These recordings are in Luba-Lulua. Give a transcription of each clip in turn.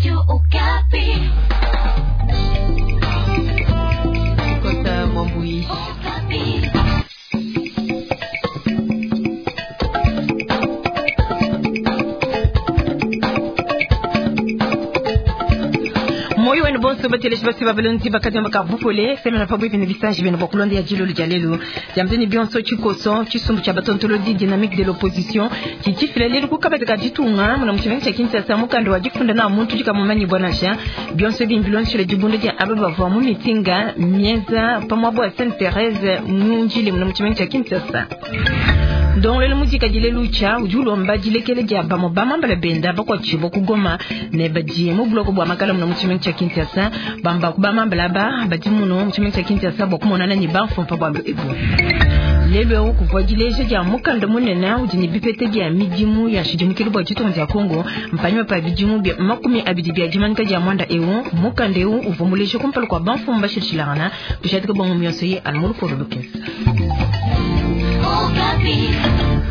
Radio Okapi. Kota Mwambui. Okapi. Moyo wenu bonso bateleshi basi babalonzi bakati baka bupole semena pabuipi ne bisanji benu bua kulonda ya jilolo dia lelu diamuteni bionso tshikoso tshisumbu tshia batontolodi dynamique de l'opposition tshitshifila lelu kukabadi ka ditunga muna mutshimenga tshia Kinshasa mukanda wa difunda na muntu dikamumanyi bwanasha bionso bimbi dibunda dia aba bavua mu mitinga mieza pamwa bua Sainte Therese munjili muna mutshimenga tshia Kinshasa. Ndongolelo mudikadile lucha udi ulomba dilekele dia bamwe bamambala benda bakwatshibwa kugoma ne badi mu buloko bwa makala muno mu tshimenga tshia Kinshasa bamba kubamambala ba badi muno mu tshimenga tshia Kinshasa bua kumonana ne bamfumpa bua ebu. Lelu eu kuvua dileja dia mukanda munene udi ne bipete bia midimu ya nshidimukilu bua ditunga dia Kongo mpanyima pa bidimu bia 20 bia dimanyika dia mwanda eu mukanda eu uvua muleja kumpala kua bamfumu bashilashilangana tushadika bongo mionso ye anu mu lupolo lukese. Okapi.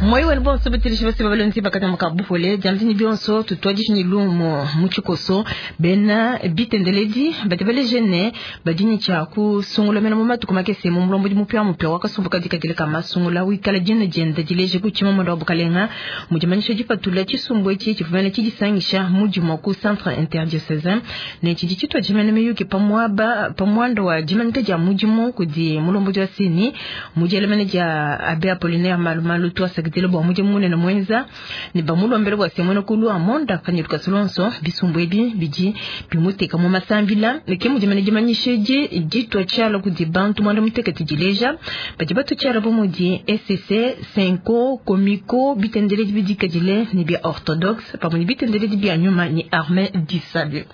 Moyo wenu bonso batilishi basi babalonzi bakatamuka bupole diamtini bionso tutwadishe ni lumo mu tshikoso bena bitendeledi badi baleje ne badi tshia kusungula mena mu matuku makese mu mulombodi mupya mupya wakasumbuka dikadile ka masungula wikala dina dienda dileje ku tshimamanda wa bukalenga mu dimanyisha dipatula tshisumbu etshi tshivumene tshidisangisha mudimu ku centre interdiocesain ne tshidi tshitua tshimene miyuki pamuaba pamuanda wa dimanyika dia mudimu kudi mulombodi wa sini mu dielemene dia abbé Apollinaire Malumalu twasakidile bua mudimu munene muenza ne bamulombele bua semwene kulu amonda panyiluka sulonso bisumbu ebi bidi bimuteka mu masambila ke mudimene dimanyisha edi ditua tshiala kudi bantu mwanda mutekete dileja badi batua tshiala bu mudi SCC Senko Komiko bitendeledi bidikadile ne bia orthodoxe pamue ne bitendeledi bia nyuma ne armée du salut.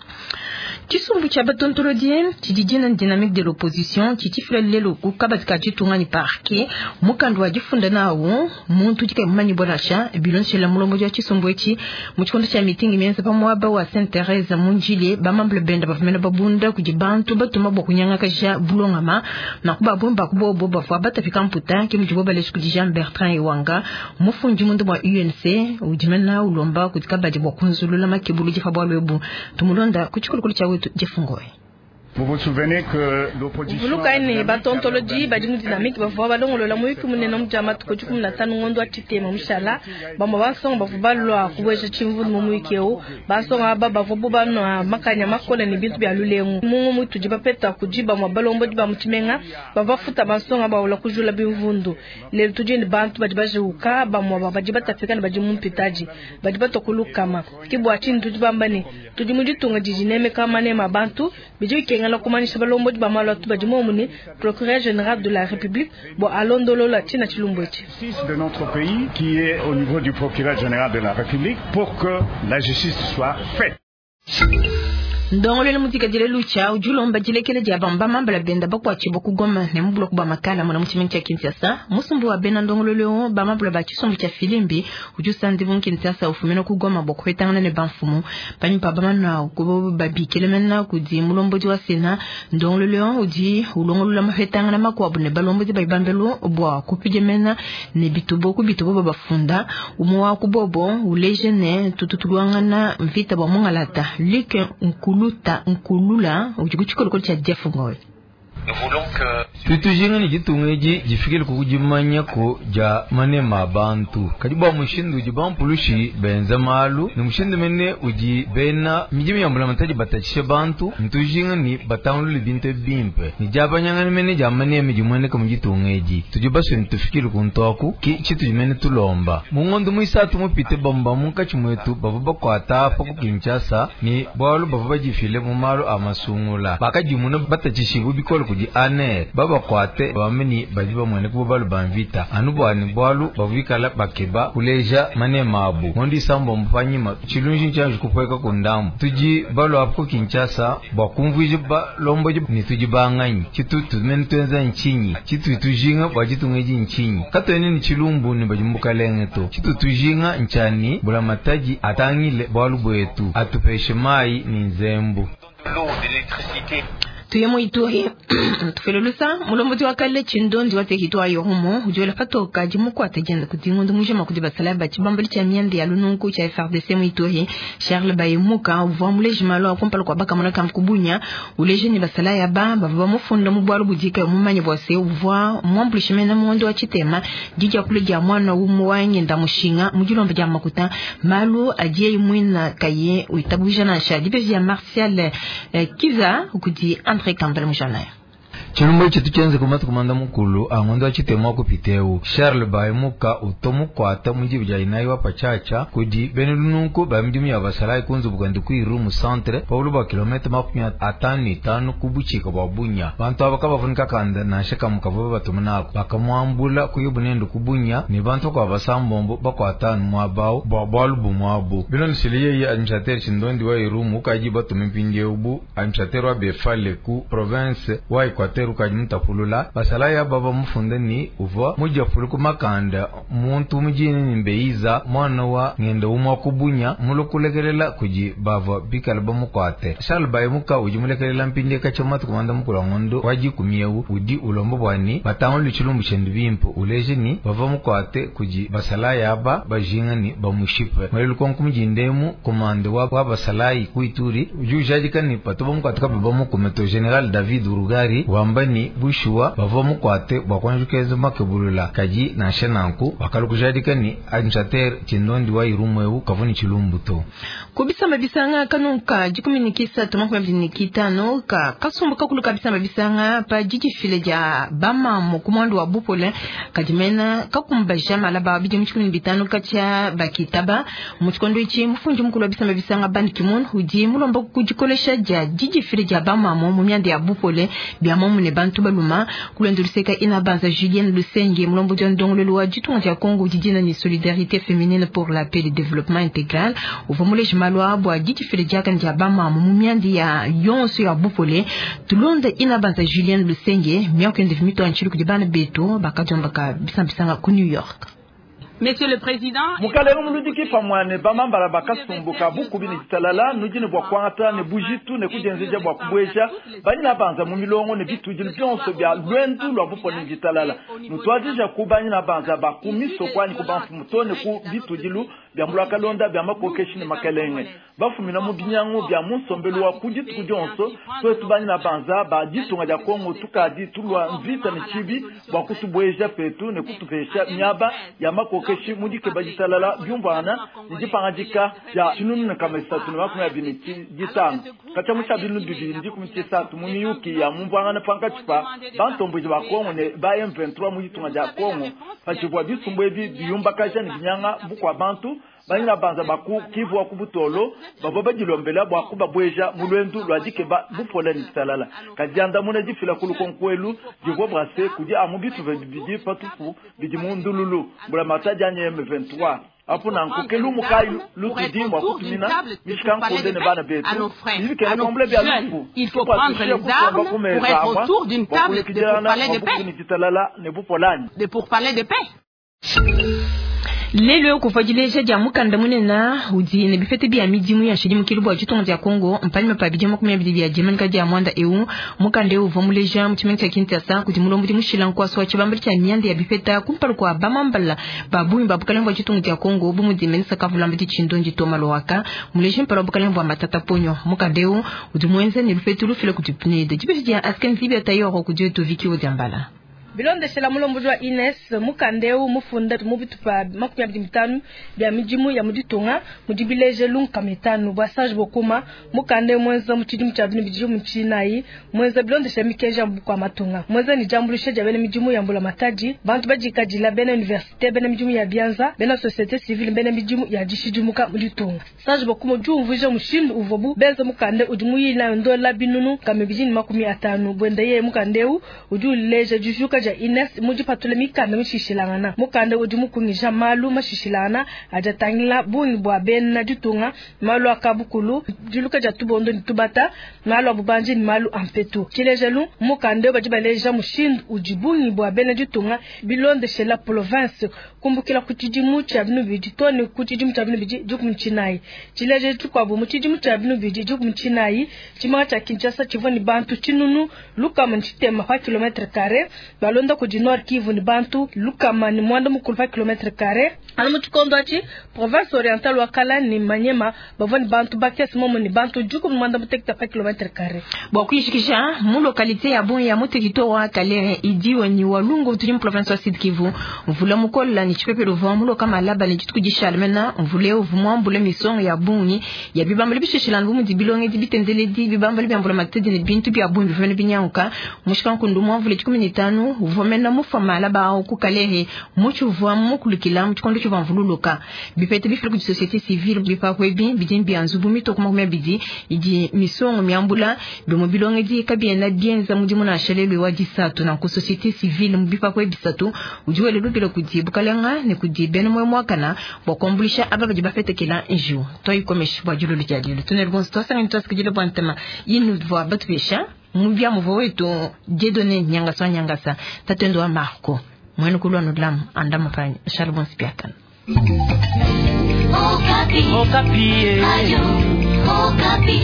Tshisumbu tshia batontolodi tshidi dina dynamique de l'opposition tshitshifila lelu ku kabadi ka ditunga ne parquet mukanda wa difunda nawu muntu udi kayi mumanyi bwanasha bilonshela mulombodi wa tshisumbu etshi mu tshikondo tshia mitingi mienza pa muaba wa Sainte Therese munjile bamambule benda bavumena babunda kudi bantu batuma bua kunyangakaja bulongama na kubabumba kubobo bavua batapika mputa ke mudibo baleji kudi Jean Bertrand Ewanga mufundi mundu bua UNC udi mena ulomba kudi kabadi bua kunzulula makebulu difa bualu ebu tumulonda ku tshikolokolo tshia wetu Jefungoe. Vous vous souvenez que l'opposition Vuluka ne batontolodi badi mu dynamique bavua balongolola muyuki munene mu dia matuku 15 ngondo wa tshitema mushala bamwe bansonga bavua balua kubueja tshimvundu mu muyuki eu bansonga aba bavua bo banua makanya makole ne bintu bia lulengu mungu mutudi bapeta kudi bamwe balombodi ba mu tshimenga bavua bafuta bansonga bawula kujula bimvundu lelu tudi ne bantu badi bajiuka bamwe badi batapika ne badi mu mpitadi badi batua kulukama ke bua tshinyi tudi bamba ne tudi mu ditunga didi nemeka manema bantu bidi bikengela kumanyisha balombodi ba malu atu badi momune procureur général de la République bua alondolola tshina tshilumbu etshi. de notre pays qui est au niveau du procureur général de la République pour que la justice soit faite. Ndongolelo mudikadile lucha udi ulomba dilekele dia bamba mambala benda bakuatshibwa kugoma ne mu buloko bua makala muna mu tshimenga tshia Kinshasa musumbu wa bena ndongolelo bamambula ba tshisumbu tshia filimbi udi usandibu mu Kinshasa ufumina kugoma bua kuhetangana ne bamfumu panyima pa bamana kubo babikile mena kudi mulombodi wa Sena ndongolelo udi ulongolola mahetangana makuabu ne balombodi ba ibambelo bua kupidia mena ne bitubo ku bitubo babafunda umwe wa kubobo uleje ne tututulwangana mvita bua mungalata Luc Nkulu Luta Nkulula udi ku tshikolokolo tshia Jeff Ngoy. Tutujinga ne ditunga edi difikile ku dimanyako dia manema a bantu kadi bua mushindu udi bampulushi benza malu ne mushindu mene udi bena midimu ya mbulamatadi batatshisha bantu ntujinga ne batangulule bintu bimpe ne diabanyangana mene dia manema dimueneka mu ditunga edi tudi basue ne tufikile ku ntoku ki tshitudi mene tulomba mu ngondo muisatu mupite bamba munkatshi muetu bavua bakuata apa ku Kinshasa ne bualu bavua badifile mu malu a masungula bakadimuna batatshishibu bikole kudi ANR babakwate bameni badi bamueneka bo balu ba mvita anu bwani bwalu bavuikala bakeba kuleja manema abu ngondo isambombo panyima tshilunji ntshianji kupueka ku ndambu tudi balu apo ku Kinshasa bua kumvuija balombodi ne tudi banganyi tshitutu mene tuenza ntshinyi tshitu tujinga bua ditunga edi ntshinyi katuene ne tshilumbu ne badi mu bukalenge to tshitu tujinga ntshani bulamatadi atangile bualu buetu atupeshe mayi ne nzembu. Tuye mu Ituri tufele lusa mulombodi wa kale Tshindondi wa territoire Irumu udi wela patoka dimukuata dienda kudi ngondo mujima kudi basalayi ba tshibambalu tshia mianda ya lununku tshia FARDC mu Ituri. Charles Bayemuka uvua muleji malu a kumpala kua bakamona ka Kubunya uleje ne basalayi aba bavua bamufunda mu bualu budika mumanye bua se uvua muambuluishe mena mu ngondo wa tshitema didia kule dia mwana umue wa ngenda mushinga mu dilomba dia makuta malu adiye muina kaye witabuja nansha dibeji ya Martial Kiza kudi André Kambale Mujanaire. Tshilumbu etshi tshienze ku matuku manda mukulu a ngondo wa tshitema wa kupiteu Charles Bayemuka utomukuata mu dibu dia inayi wa patshiatshia kudi bena lununku ba midimu ya basalayi ku nzubu kuende ku Irumu centre pa bulu bua kilomètre 55 ku butshika bua Bunya. Bantu aba kabavunika kanda nansha kamue kavua babatuma naku bakamuambula kuyibu nende ku Bunya ne bantu bakuabu basambombo bakuata anu muaba awu bua bualu bumue abu. Bilondeshile yeye administrateur Tshindondi wa Irumu ukadi batume mpindieu bu administrateur wa Befale ku province wa Equateur ukadi mutapulula basalayi aba bamufunda ni uvua mudiapulu ku makanda muntu mujini ni mbeiza mwana wa ngenda umwa kubunya mulukulekelela kudi bavua bikala bamukuate. Charles Bayemuka udi mulekelela mpindi katsha matuku manda mukulu wa ngondo wa dikumi ewu udi ulomba bua ni batangulu tshilumbu tshiende bimpe uleje ni bavua mukuate kudi basalayi aba bajinga ni bamushipe. Mwele lukonko mujindemu komande wa basalayi ku Ituri udi ujadika ni patu bamukuate kabe bamukume to General David Rugari wamba ni bushuwa bavua mukuate bua kuanjukeza makebulula kadi nansha nanku wakalukujadika ni administrateur Tshindondi wa Irumu ewu kavua ni tshilumbu to. Kubisamba bisanga kanunka 13 25 ka kasumbu kakulu kabisamba bisanga pa didifile dia bamamu ku mwandu wa bupole kadimena kakumbaja malaba bidimu 15 katshia bakitaba mu tshikondo itshi mufundi mukulu wa bisamba bisanga Ban Ki-moon udi mulomba kudikolesha dia didifile dia bamamu mu mianda ya bupole bia mamu ne bantu baluma kulendo luseka ina banza Julien Lusenge mulombo dia ndongolelo wa ditunga dia Congo didina ni solidarité féminine pour la paix et le développement intégral uvua muleji malu bua didifile diakane dia bamamu mu mianda ya yonso ya bupole tulonda ina banza Julien Lusenge miaku yende vimito antshili kudi bana betu bakadiomba ka bisambisanga ku New York. Monsieur le Président, mukalenge muludiki pamue bamambala bakasumbuka bukubi ne ditalala nudi ne bua kuangata ne bujitu ne kudienzeja bua kubueja banyina banza mu milongo ne bitudilu bionso bia lwendu lua bupole ne ditalala nutuadija ku banyina banza ba ku misoko anyi ku bamfumu to ne ku bitudilu bia mbulakalonda bia makokeshi ne makelenge bafumina mu binyangu bia mu nsombelu wa ku dituku dionso twetu banyina banza ba ditunga dia Kongo tukadi tulua mvita ne tshibi bua kutubueja petu ne kutupesha miaba ya makokeshi mu dikeba ditalala biumvuangana ne dipangadika dia 2025 katshia mu tshia 2013 mu miyuki ya mumvuangana pankatshi pa bantomboji ba Kongo ne ba M23 mu ditunga dia Kongo patshivua bisumbu ebi biyumbakaja ne binyanga bukua bantu banyina banza baku Kivu wa ku Butolo bavua badilombela bua kubabueja mu lwendu lua dikeba bupole ne ditalala kadi diandamuna difila ku lukonko divua brase kudi amu bitupa bibidi patupu bidi mu ndululu mbulamatadi anyi M23 apo nanku ke lumu kayi lutudi mua kutumina mishikankunde ne bana betu bibikena kuambula bia lufu il faut prendre les armes pour être autour d'une table de pourparlers de paix. ne ditalala ne bupolani De pourparlers de paix. Lelo kuvua dileja dia mukanda munene udi ne bipete bia midimu ya nshidimukilu bua ditunga dia Kongo mpanyima pa bidimu 20 bia dimanika dia mwanda eu mukanda eu uvua muleja mu tshimenga tshia Kinshasa kudi mulombodi mushila nkuaso wa tshibambalu tshia mianda ya bipeta kumpala kua bamambala ba bungi ba bukalenge bua ditunga dia Kongo bu mudi ministre Kavulamba Tshindondi Thomas Luhaka muleji mpala wa bukalenge bua Matata Ponyo mukanda eu udi muenza ne lupetu lufila kudi PNUD dibeji dia Asken Zibia Tayoro kudi Viki Odiambala. Bilondeshela mulombodi wa Ines mukandeu mufunda mu bitupa 25 bia midimu ya muditunga mudi bilejelu nkama itanu bua Serge Bokuma mukandeu mwenza mu tshidimu tshia 2019 mwenza bilondeshela mikenji ya bukua matunga mwenza ni diambuluisha dia bena midimu ya mbula matadi bantu badikadila bena université bena midimu ya bianza bena société civile bena midimu ya dishidimuka muditunga Serge Bokuma udi umvuija mushindu uvuabu benza mukande udi muyila ndola binunu 250 bwenda yeye mukandeu udi uleja dijuka Diluka dia INES mudipatule mikanda mishishilangana. Mukanda udi mukungija malu mashishilangana adi atangila bungi bua bena ditunga, malu a kabukulu, diluka dia tubondo ne tubata, malu a bubanji ne malu a mpetu. Tshilejelu, mukanda badi baleja mushindu udi bungi bua bena ditunga bilondeshela province kumbukila ku tshidimu tshia binu bidi too ne ku tshidimu tshia binu bidi dikumi tshinayi. Tshilejelu tshikuabu mu tshidimu tshia binu bidi dikumi tshinayi, tshimenga tshia Kinshasa tshivua ne bantu 160 pa kilomètre carré, balonda kudi Nord Kivu ne bantu 190 pa kilomètre carré. Anu mu tshikondo atshi, province orientale wa Kala ne Maniema bavua ne bantu bakese momo ne bantu 16 pa kilomètre carré. Bua kuyishikisha mu localité ya Bunia mu territoire wa Kalehe idiwe ni Walungu tudi mu province wa Sud Kivu, mvula mukola ni tshipepele uvua muloka malaba ne dituku dishala mena mvula uvua muambule misongo ya bungi ya bibambalo bishishilana bu mudi bilongedi bitendeledi bibambalo bia mvula matedi ne bintu bia bungi bivua binyanguka. Mushika nkundu muamvula 15 uvua mena mufa malaba au ku Kalehe muchi uvua mukulukila mu tshikondo tshivua mvululuka. Bipete bifila kudi société civile bipakwe bi bidi bia nzubu mitoko 20 idi misongo miambula bimwe bilongedi kabiena bienza mudimu nansha lelu wa disatu. Na ku société civile mu bipakwe bisatu udi wele lubila kudi bukalenga ne kudi bena moyo mwakana bua kuambulisha aba badi bafetekela njiwu. Toyikomesha bua dilolo dia lelu tunele bonso twasangani twasikidile bua ntema inu bua batupesha mu bia muvua wetu Dieudonné Nyangasa wa Nyangasa tatendo wa Marco mwene kulwa nudlamu andama pa Charles Bonsipiakana. Okapi. Okapi. Radio Okapi.